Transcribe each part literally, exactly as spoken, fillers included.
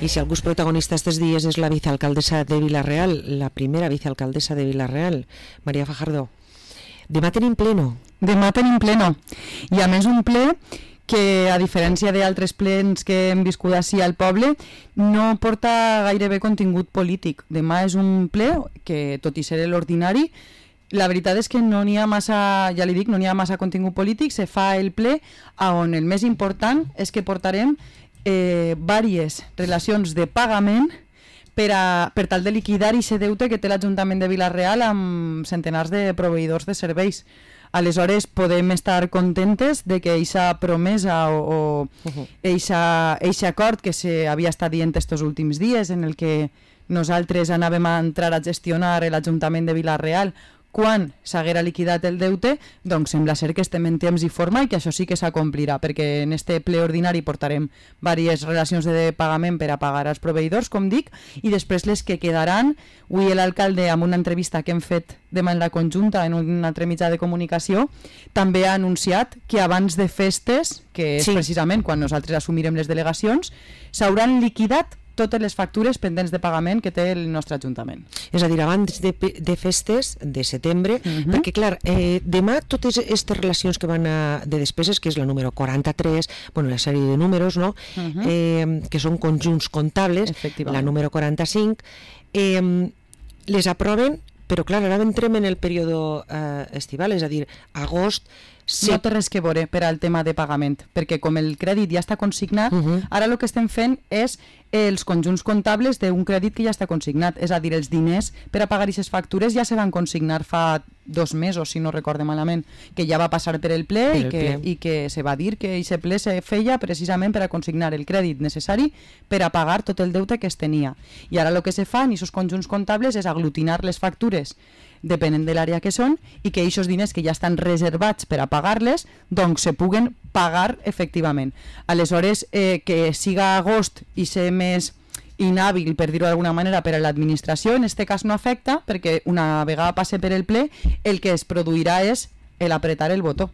I si algú és protagonista estos dies és la vicealcaldessa de Vila-real, la primera vicealcaldessa de Vila-real, Maria Fajardo. Demà tenim pleno. Demà tenim pleno. I a més un ple que, a diferència d'altres plens que hem viscut així al poble, no porta gairebé contingut polític. Demà és un ple que, tot i ser l'ordinari, la veritat és que no n'hi ha massa, ja li dic, no n'hi ha massa contingut polític, se fa el ple on el més important és que portarem eh, diverses relacions de pagament per, a, per tal de liquidar aquest deute que té l'Ajuntament de Vila-real amb centenars de proveïdors de serveis. Aleshores podem estar contentes de que aquesta promesa o aquest acord que s'havia estat dient estos últims dies en el que nosaltres anàvem a entrar a gestionar l'Ajuntament de Vila-real quan s'haguera liquidat el deute, doncs sembla ser que estem en temps i forma i que això sí que s'acomplirà, perquè en este ple ordinari portarem diverses relacions de pagament per a pagar als proveïdors, com dic, i després les que quedaran. Avui l'alcalde, amb una entrevista que hem fet de manera conjunta en un altre mitjà de comunicació, també ha anunciat que abans de festes, que és sí. precisament quan nosaltres assumirem les delegacions, s'hauran liquidat totes les factures pendents de pagament que té el nostre Ajuntament. És a dir, abans de, de festes de setembre, uh-huh. perquè clar, eh, demà totes aquestes relacions que van a, de despeses, que és la número quaranta-tres, bueno, la sèrie de números, no? Uh-huh. eh, que són conjunts comptables, la número quaranta-cinc, eh, les aproven, però clar, ara entrem en el període eh, estival, és a dir, agost. Sí. No té res que veure per al tema de pagament, perquè com el crèdit ja està consignat, uh-huh. ara el que estem fent és els conjunts comptables d'un crèdit que ja està consignat, és a dir, els diners per a pagar aquestes factures ja se van consignar fa dos mesos, si no recorde malament, que ja va passar per el ple, per i, que, ple. i que se va dir que aquest ple se feia precisament per a consignar el crèdit necessari per a pagar tot el deute que es tenia. I ara el que se fa en aquests conjunts comptables és aglutinar les factures depenent de l'àrea que són i que aquests diners que ja estan reservats per a pagar-les doncs se puguen pagar efectivament. Aleshores, eh, que siga agost i ser més inhàbil, per dir-ho d'alguna manera, per a l'administració, en aquest cas no afecta, perquè una vegada passe per el ple, el que es produirà és el apretar el botó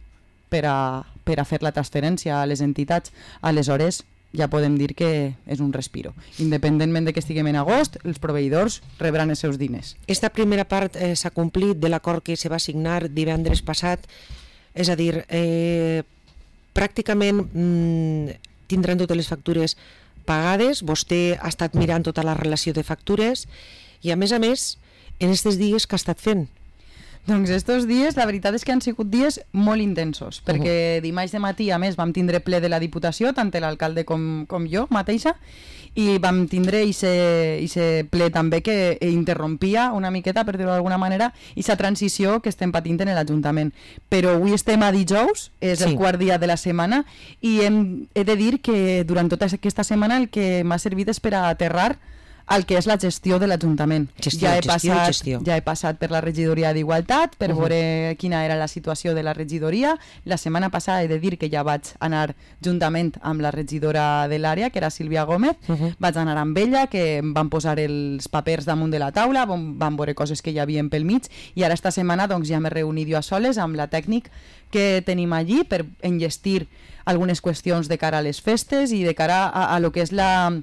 per a, per a fer la transferència a les entitats. Aleshores, ja podem dir que és un respiro. Independentment de que estiguem en agost, els proveïdors rebran els seus diners. Esta primera part eh, s'ha complit de l'acord que se va signar divendres passat, és a dir, eh, pràcticament mm, tindran totes les factures pagades, vostè ha estat mirant tota la relació de factures i a més a més, en aquests dies que ha estat fent? Doncs estos dies, la veritat és que han sigut dies molt intensos, perquè uh-huh. dimarts de matí, a més, vam tindre ple de la Diputació, tant l'alcalde com, com jo mateixa, i vam tindre aquest ple també que interrompia una miqueta, per dir-ho d'alguna manera, aquesta transició que estem patint en l'Ajuntament. Però avui estem a dijous, és sí. el quart dia de la setmana, i hem, he de dir que durant tota aquesta setmana el que m'ha servit és per a aterrar el que és la gestió de l'Ajuntament. Gestió, ja he gestió, passat, gestió. Ja he passat per la regidoria d'Igualtat per uh-huh. veure quina era la situació de la regidoria. La setmana passada he de dir que ja vaig anar juntament amb la regidora de l'àrea, que era Sílvia Gómez. Uh-huh. Vaig anar amb ella, que em van posar els papers damunt de la taula, van, van veure coses que hi havia pel mig, i ara esta setmana doncs, ja m'he reunit jo a soles amb la tècnic que tenim allí per enllestir algunes qüestions de cara a les festes i de cara a, a lo que és la...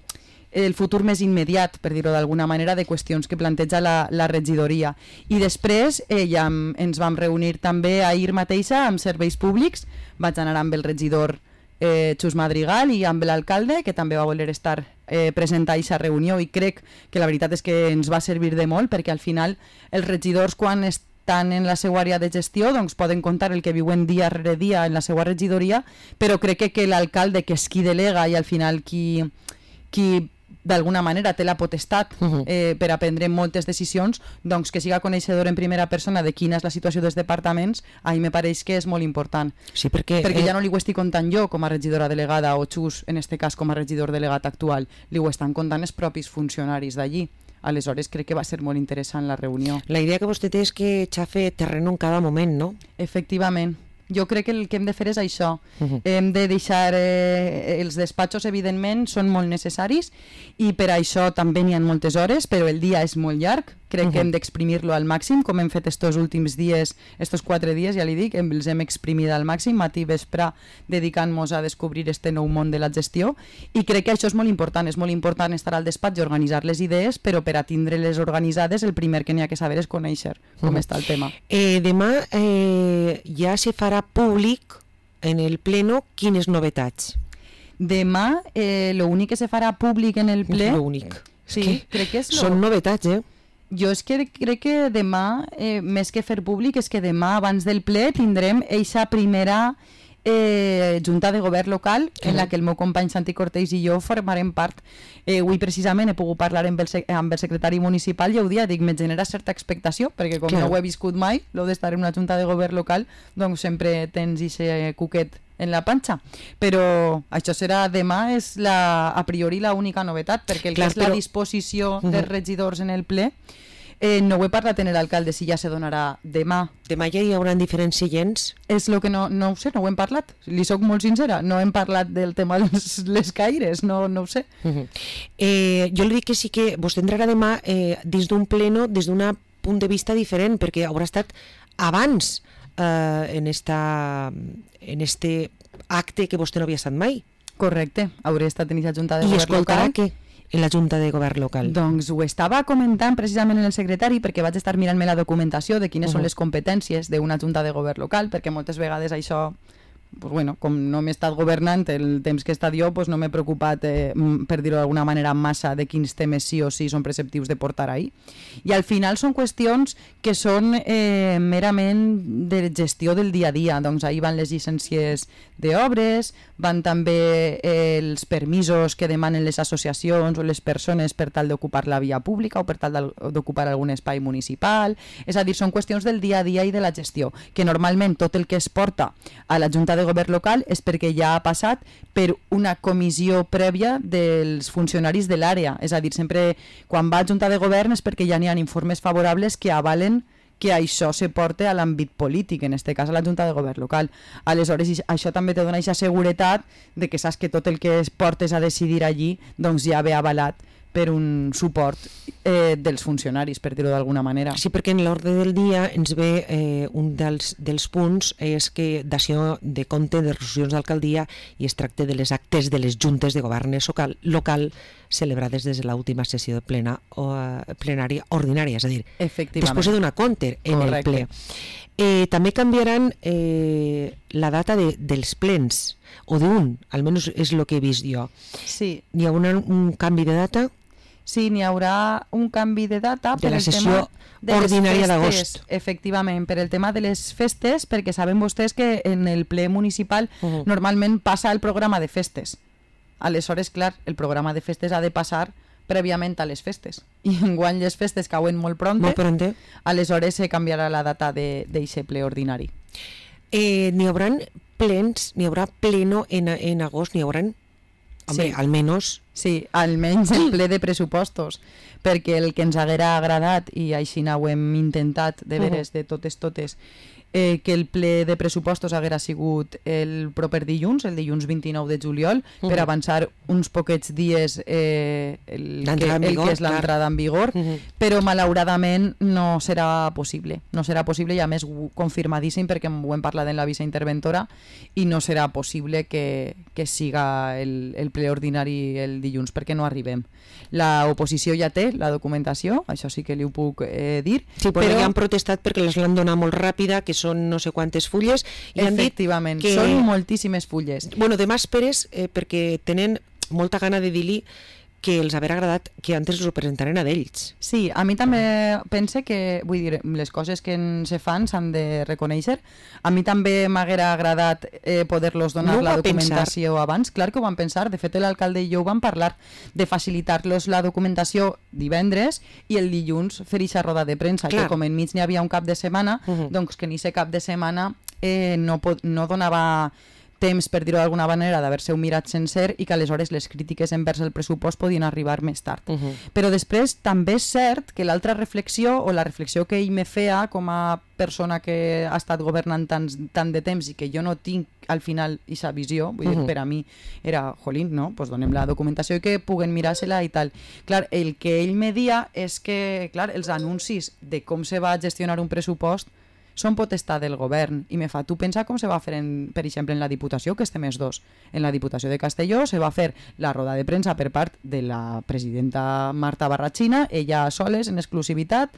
el futur més immediat, per dir-ho d'alguna manera, de qüestions que planteja la, la regidoria. I després eh, ja ens vam reunir també ahir mateixa amb serveis públics, vaig anar amb el regidor eh, Xus Madrigal i amb l'alcalde, que també va voler estar eh, present a aquesta reunió, i crec que la veritat és que ens va servir de molt, perquè al final els regidors, quan estan en la seva àrea de gestió, doncs poden contar el que viuen dia rere dia en la seva regidoria, però crec que, que l'alcalde, que és qui delega i al final qui... qui d'alguna manera té la potestat eh, per a prendre moltes decisions, doncs que siga coneixedor en primera persona de quina és la situació dels departaments, a mi me pareix que és molt important. Sí, perquè perquè eh... ja no li ho estic contant jo com a regidora delegada o Xus, en este cas com a regidor delegat actual, li ho estan contant els propis funcionaris d'allí. Aleshores crec que va ser molt interessant la reunió. La idea que vostè té és que xafe terreno en cada moment, no? Efectivament. Jo crec que el que hem de fer és això. Uh-huh. Hem de deixar... Eh, els despatxos, evidentment, són molt necessaris i per això també n'hi ha moltes hores, però el dia és molt llarg, crec Uh-huh. que hem d'exprimir-lo al màxim, com hem fet estos últims dies, estos quatre dies, ja li dic, hem, els hem exprimit al màxim, matí i vespre, dedicant-nos a descobrir este nou món de la gestió, i crec que això és molt important, és molt important estar al despatx i organitzar les idees, però per a tindre-les organitzades el primer que n'hi ha que saber és conèixer com uh-huh. està el tema. Eh, demà eh, ja se farà públic en el pleno quines novetats. Demà, eh, l'únic que se farà públic en el ple... L'únic. Sí, es que crec que és... Lo... Són novetats, eh? Jo és que crec que demà, eh, més que fer públic, és que demà, abans del ple, tindrem eixa primera eh, junta de govern local, uh-huh. en la que el meu company Santi Cortés i jo formarem part. Eh, avui precisament he pogut parlar amb el, amb el secretari municipal i ho dia, dic, me genera certa expectació, perquè com Clar. no ho he viscut mai, lo d'estar en una junta de govern local, doncs sempre tens ixe cuquet en la panxa, però això serà demà, és la, a priori l'única novetat, perquè el Clar, que és però... la disposició uh-huh. dels regidors en el ple, eh, no ho he parlat en l'alcalde si ja se donarà demà. Demà ja hi haurà diferents seients? És el que no, no ho sé, no ho hem parlat, li soc molt sincera, no hem parlat del tema de les, les caires, no, no ho sé. Uh-huh. eh, jo li dic que sí que vos tindrà demà eh, dins d'un pleno, des d'un punt de vista diferent, perquè haurà estat abans Uh, en esta en este acte que vostè no havia estat mai. Correcte, hauria estat en aquesta junta de I govern local. I escoltarà què en la junta de govern local? Doncs ho estava comentant precisament en el secretari, perquè vaig estar mirant-me la documentació de quines uh-huh. són les competències d'una junta de govern local, perquè moltes vegades això, pues bueno, com no m'he estat governant el temps que he estat jo, pues no m'he preocupat, eh, per dir-ho d'alguna manera, massa de quins temes sí o sí són preceptius de portar ahí. I al final són qüestions que són eh, merament de gestió del dia a dia. Doncs ahí van les llicències d'obres, van també eh, els permisos que demanen les associacions o les persones per tal d'ocupar la via pública o per tal d'ocupar algun espai municipal. És a dir, són qüestions del dia a dia i de la gestió, que normalment tot el que es porta a la Junta de Govern local és perquè ja ha passat per una comissió prèvia dels funcionaris de l'àrea. És a dir, sempre quan va a Junta de Govern és perquè ja n'hi ha informes favorables que avalen que això se porte a l'àmbit polític, en aquest cas a la Junta de Govern local. Aleshores, això també te dona aquesta seguretat de que saps que tot el que es portes a decidir allí doncs ja ve avalat per un suport eh, dels funcionaris, per dir-ho d'alguna manera. Sí, perquè en l'ordre del dia ens ve eh, un dels, dels punts és que dació de compte de resolucions d'alcaldia i es tracta de les actes de les juntes de govern local, local celebrades des de l'última sessió de plena o uh, plenària ordinària, és a dir, després de donar compte en Correcte. El ple. Eh, també canviaran eh, la data de, dels plens, o d'un, almenys és el que he vist jo. Sí. Hi haurà un canvi de data? Sí, n'hi haurà un canvi de data de per la el sessió tema ordinària d'agost. Efectivament, per el tema de les festes, perquè saben vostès que en el ple municipal uh-huh. normalment passa el programa de festes. Aleshores, clar, el programa de festes ha de passar prèviament a les festes. I enguany les festes cauen molt pronte, molt pronte. Aleshores se canviarà la data d'aquest ple ordinari. Eh, n'hi haurà plens, n'hi haurà pleno en, en agost, n'hi haurà... Home, sí. almenys... Sí, almenys el ple de pressupostos, perquè el que ens haguera agradat, i així ho hem intentat de veres de totes totes, eh, que el ple de pressupostos haguera sigut el proper dilluns, el dilluns vint-i-nou de juliol, uh-huh. per avançar uns poquets dies eh, el, que, el vigor, que és l'entrada en vigor, uh-huh. però malauradament no serà possible. No serà possible, i a més confirmadíssim, perquè ho hem parlat en la viceinterventora, i no serà possible que, que siga el, el ple ordinari el dilluns, perquè no arribem. La oposició ja té la documentació, això sí que li ho puc eh, dir. Sí, però, però ja han protestat perquè les l'han donat molt ràpida, que són no sé quantes fulles, i han dit que... són moltíssimes fulles. Bueno, demà esperes, eh, perquè tenen molta gana de dir-li que els haver agradat que antes els ho presentaren a d'ells. Sí, a mi també pense que, vull dir, les coses que se fan s'han de reconèixer. A mi també m'haguera agradat eh, poder-los donar no la documentació pensar. Abans. Clar que ho van pensar, de fet l'alcalde i jo ho vam parlar, de facilitar-los la documentació divendres i el dilluns fer ixa roda de premsa, Clar. Que com enmig n'hi havia un cap de setmana, uh-huh. doncs que ni ese cap de setmana eh, no, pot, no donava temps, per dir-ho d'alguna manera, d'haver-se-ho mirat sencer i que aleshores les crítiques envers el pressupost podien arribar més tard. Uh -huh. Però després també és cert que l'altra reflexió, o la reflexió que ell me feia com a persona que ha estat governant tant, tant de temps i que jo no tinc al final aquesta visió, vull dir, uh -huh. per a mi era, jolín, no? Pues donem la documentació i que puguen mirar-se-la i tal. Clar, el que ell me dia és que, clar, els anuncis de com se va gestionar un pressupost són potestat del govern, i me fa, tu pensa com se va fer, en, per exemple, en la Diputació, que estem els dos. En la Diputació de Castelló se va fer la roda de premsa per part de la presidenta Marta Barrachina, ella soles, en exclusivitat,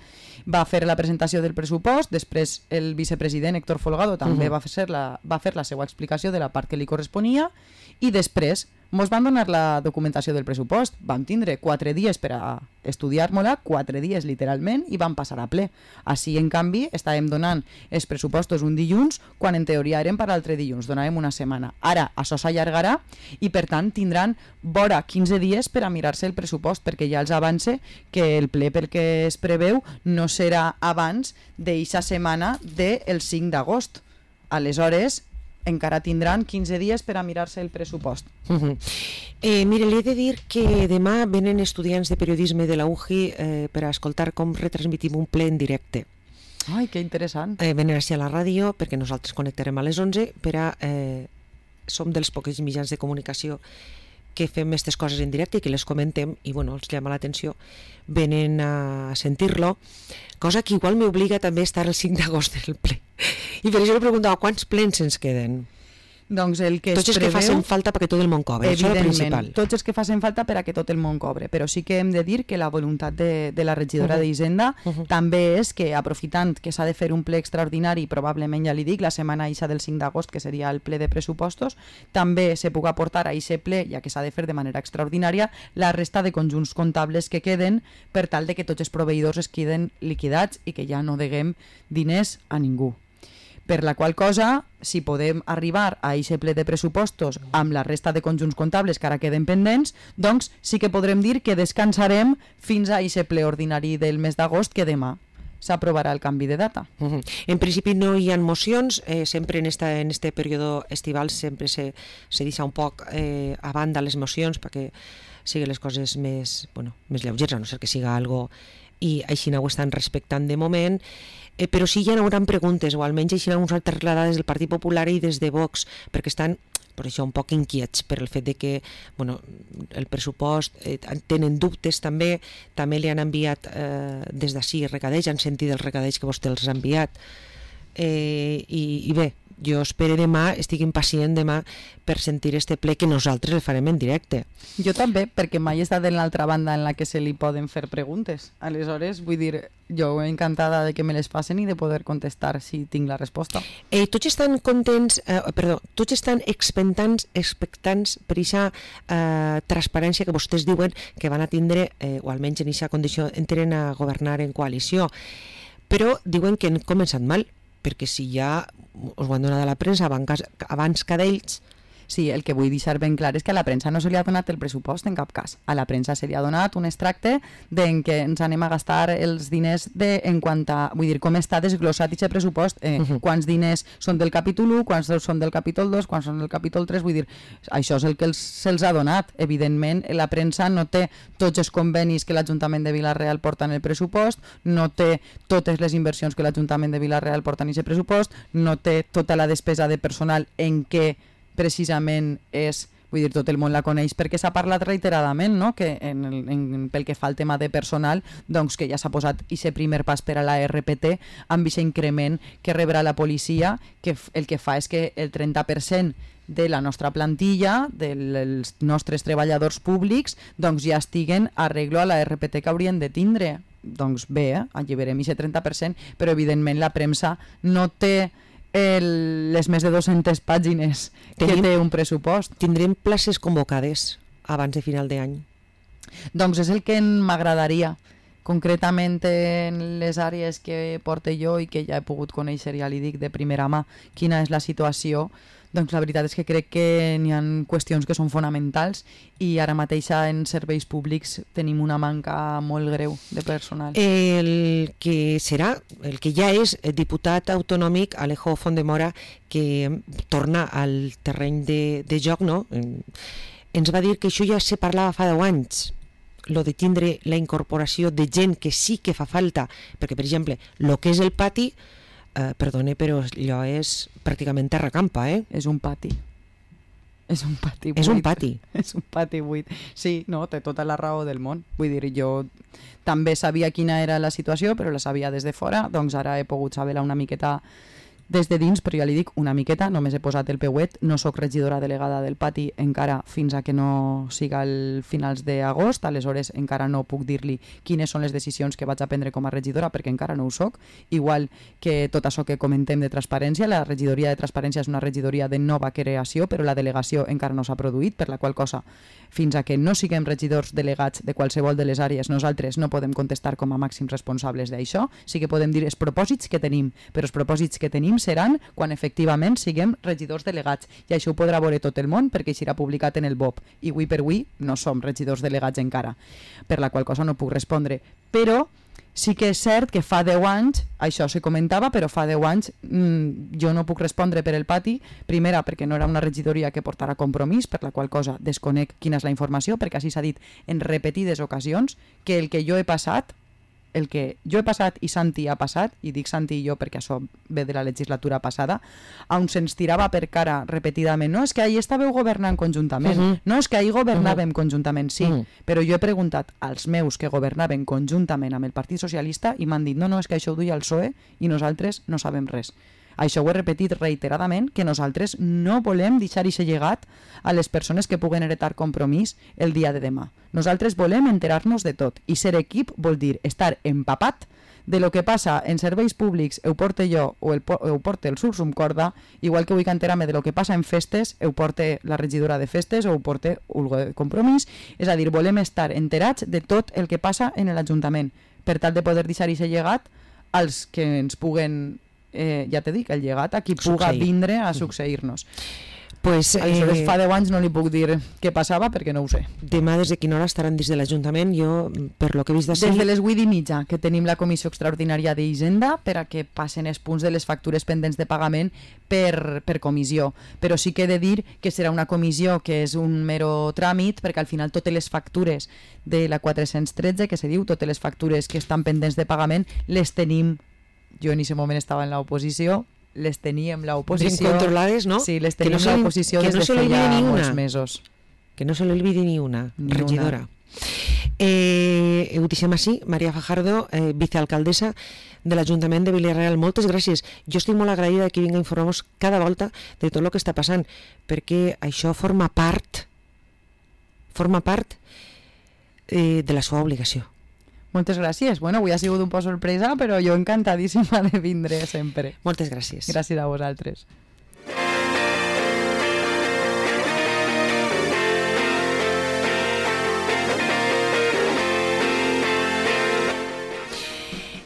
va fer la presentació del pressupost, després el vicepresident Héctor Folgado també uh -huh. va, fer la, va fer la seva explicació de la part que li corresponia, i després mos van donar la documentació del pressupost. Vam tindre quatre dies per a estudiar-me-la, quatre dies literalment, i vam passar a ple. Així, en canvi, estàvem donant els pressupostos un dilluns, quan en teoria eren per l'altre dilluns, donàvem una setmana. Ara, això s'allargarà i, per tant, tindran vora quinze dies per a mirar-se el pressupost, perquè ja els avance que el ple pel que es preveu no serà abans d'eixa setmana del cinc d'agost. Aleshores, encara tindran quinze dies per a mirar-se el pressupost. Uh -huh. eh, mire, li he de dir que demà venen estudiants de periodisme de la U J I eh, per a escoltar com retransmitim un ple en directe. Ai, que interessant. Eh, venen així a la ràdio, perquè nosaltres connectarem a les onze, per a... Eh, som dels pocs mitjans de comunicació que fem aquestes coses en directe i que les comentem, i bueno, els llama l'atenció, venen a sentir-lo, cosa que igual m'obliga també a estar el cinc d'agost en el ple. I per això li preguntava quants plens ens queden. Doncs el que tots els preveu, que facin falta perquè tot el món cobre, això és el principal. Tots els que facin falta per a que tot el món cobre, però sí que hem de dir que la voluntat de, de la regidora uh -huh. d'Hisenda uh -huh. també és que, aprofitant que s'ha de fer un ple extraordinari, probablement, ja li dic, la setmana ixa del cinc d'agost, que seria el ple de pressupostos, també se puga portar a aquest ple, ja que s'ha de fer de manera extraordinària, la resta de conjunts comptables que queden, per tal de que tots els proveïdors es queden liquidats i que ja no deguem diners a ningú. Per la qual cosa, si podem arribar a aquest ple de pressupostos amb la resta de conjunts comptables que ara queden pendents, doncs sí que podrem dir que descansarem fins a aquest ple ordinari del mes d'agost, que demà s'aprovarà el canvi de data. Uh -huh. En principi no hi ha mocions, eh, sempre en este, en este període estival sempre se, se deixa un poc eh, a banda les mocions perquè siguin les coses més, bueno, més lleugeres, a no ser que siga algo, i així no ho estan respectant de moment. Eh, però sí hi haurà preguntes, o almenys així algunes altres relades del Partit Popular i des de Vox, perquè estan per això un poc inquiets per el fet de que bueno, el pressupost eh, tenen dubtes també, també li han enviat eh, des d'ací recadells, han sentit els recadells que vostè els ha enviat, eh, i, i bé, jo espero demà, estic impacient demà per sentir este ple que nosaltres el farem en directe. Jo també, perquè mai he estat en l'altra banda en la que se li poden fer preguntes. Aleshores, vull dir, jo encantada de que me les facin i de poder contestar si tinc la resposta. Eh, tots estan contents, eh, perdó, tots estan expectants, expectants per aquesta eh, transparència que vostès diuen que van a tindre, eh, o almenys en aquesta condició, entren a governar en coalició. Però diuen que han començat mal, perquè si ja us ho han donat a la premsa abans, abans que d'ells. Sí, el que vull deixar ben clar és que a la premsa no se li ha donat el pressupost en cap cas. A la premsa se li ha donat un extracte d'en què ens anem a gastar els diners de, en quant a, vull dir, com està desglossat aquest pressupost, eh, uh -huh. quants diners són del capítol u, quants són del capítol dos, quants són del capítol tres, vull dir, això és el que els, se'ls ha donat. Evidentment, la premsa no té tots els convenis que l'Ajuntament de Vila-real porta en el pressupost, no té totes les inversions que l'Ajuntament de Vila-real porta en aquest pressupost, no té tota la despesa de personal en què precisament és, vull dir, tot el món la coneix perquè s'ha parlat reiteradament, no? Que en el, en, pel que fa al tema de personal, doncs que ja s'ha posat aquest primer pas per a la R P T amb aquest increment que rebrà la policia, que el que fa és que el trenta per cent de la nostra plantilla, dels nostres treballadors públics, doncs ja estiguen a arreglo a la R P T que haurien de tindre. Doncs bé, eh? alliberem aquest trenta per cent, però evidentment la premsa no té El, les més de dues-centes pàgines que Tenim, té un pressupost. Tindrem places convocades abans de final d'any? Doncs és el que m'agradaria, concretament en les àrees que porte jo i que ja he pogut conèixer, ja li dic de primera mà quina és la situació, doncs la veritat és que crec que n'hi ha qüestions que són fonamentals i ara mateix en serveis públics tenim una manca molt greu de personal. El que serà, el que ja és diputat autonòmic, Alejo Fondemora, que torna al terreny de, de joc, no? Ens va dir que això ja se parlava fa deu anys, lo de tindre la incorporació de gent que sí que fa falta, perquè, per exemple, el que és el pati, eh, perdone, però allò és pràcticament terra campa, eh? És un pati. És un pati buit. És un pati. És un pati buit. Sí, no, té tota la raó del món. Vull dir, jo també sabia quina era la situació, però la sabia des de fora, doncs ara he pogut saber-la una miqueta des de dins, però ja li dic una miqueta, només he posat el peuet, no sóc regidora delegada del pati encara fins a que no siga el finals d'agost, aleshores encara no puc dir-li quines són les decisions que vaig a prendre com a regidora perquè encara no ho soc, igual que tot això que comentem de transparència, la regidoria de transparència és una regidoria de nova creació, però la delegació encara no s'ha produït, per la qual cosa fins a que no siguem regidors delegats de qualsevol de les àrees, nosaltres no podem contestar com a màxims responsables d'això, sí que podem dir els propòsits que tenim, però els propòsits que tenim seran quan efectivament siguem regidors delegats i això ho podrà veure tot el món perquè serà publicat en el B O P i avui per avui no som regidors delegats encara, per la qual cosa no puc respondre, però sí que és cert que fa deu anys, això se comentava, però fa deu anys mmm, jo no puc respondre per el pati, primera perquè no era una regidoria que portara compromís, per la qual cosa desconec quina és la informació, perquè així s'ha dit en repetides ocasions que el que jo he passat el que jo he passat i Santi ha passat, i dic Santi i jo perquè això ve de la legislatura passada, on se'ns tirava per cara repetidament, no, és que ahir estàveu governant conjuntament, uh-huh. no, és que ahir governàvem uh-huh. conjuntament, sí, uh-huh. però jo he preguntat als meus que governaven conjuntament amb el Partit Socialista i m'han dit, no, no, és que això ho duia el P S O E i nosaltres no sabem res. Això ho he repetit reiteradament, que nosaltres no volem deixar aquest llegat a les persones que puguen heretar compromís el dia de demà. Nosaltres volem enterar-nos de tot i ser equip vol dir estar empapat de lo que passa en serveis públics, ho porte jo o el, ho porte el Sursum Corda, igual que vull enterar-me de lo que passa en festes, ho porte la regidora de festes o ho porte Ulgo de Compromís, és a dir, volem estar enterats de tot el que passa en l'Ajuntament, per tal de poder deixar aquest llegat als que ens puguen Eh, ja te dic, el llegat a qui puga Succeir. vindre a succeir-nos. Pues, Aleshores, eh, fa deu anys no li puc dir què passava perquè no ho sé. Demà des de quina hora estaran dins de l'Ajuntament? Jo, per lo que he vist d'ací... Des de les vuit i mitja, que tenim la Comissió Extraordinària d'Hisenda per a que passen els punts de les factures pendents de pagament per, per comissió. Però sí que he de dir que serà una comissió que és un mero tràmit, perquè al final totes les factures de la quatre-cents tretze, que se diu, totes les factures que estan pendents de pagament, les tenim. Jo en aquest moment estava en l'oposició, les teníem l'oposició... Ben controlades, no? Sí, les Que no teníem se li- l'oposició que des no de se li feia olvide ni molts una. mesos. Que no se l'olvidi ni una, Ni regidora. Eh, ho deixem així, Maria Fajardo, eh, vicealcaldessa de l'Ajuntament de Vila-real. Moltes gràcies. Jo estic molt agraïda que vinga a informar-nos cada volta de tot el que està passant, perquè això forma part forma part eh, de la seva obligació. Moltes gràcies. Bueno, avui ha sigut un poc sorpresa, però jo encantadíssima de vindre sempre. Moltes gràcies. Gràcies a vosaltres.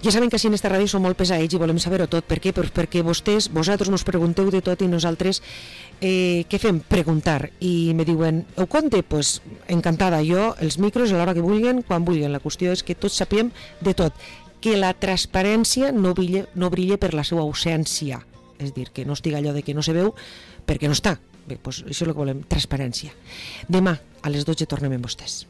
Ja saben que així en esta ràdio som molt pesaets i volem saber-ho tot. Per què? Pues perquè vostès, vosaltres nos pregunteu de tot i nosaltres eh, què fem? Preguntar. I me diuen, ho conte? Pues encantada. Jo, els micros a l'hora que vulguen, quan vulguen. La qüestió és que tots sapiem de tot. Que la transparència no brille, no brille per la seva ausència. És dir, que no estiga allò de que no se veu perquè no està. Bé, pues això és el que volem, transparència. Demà a les dotze tornem amb vostès.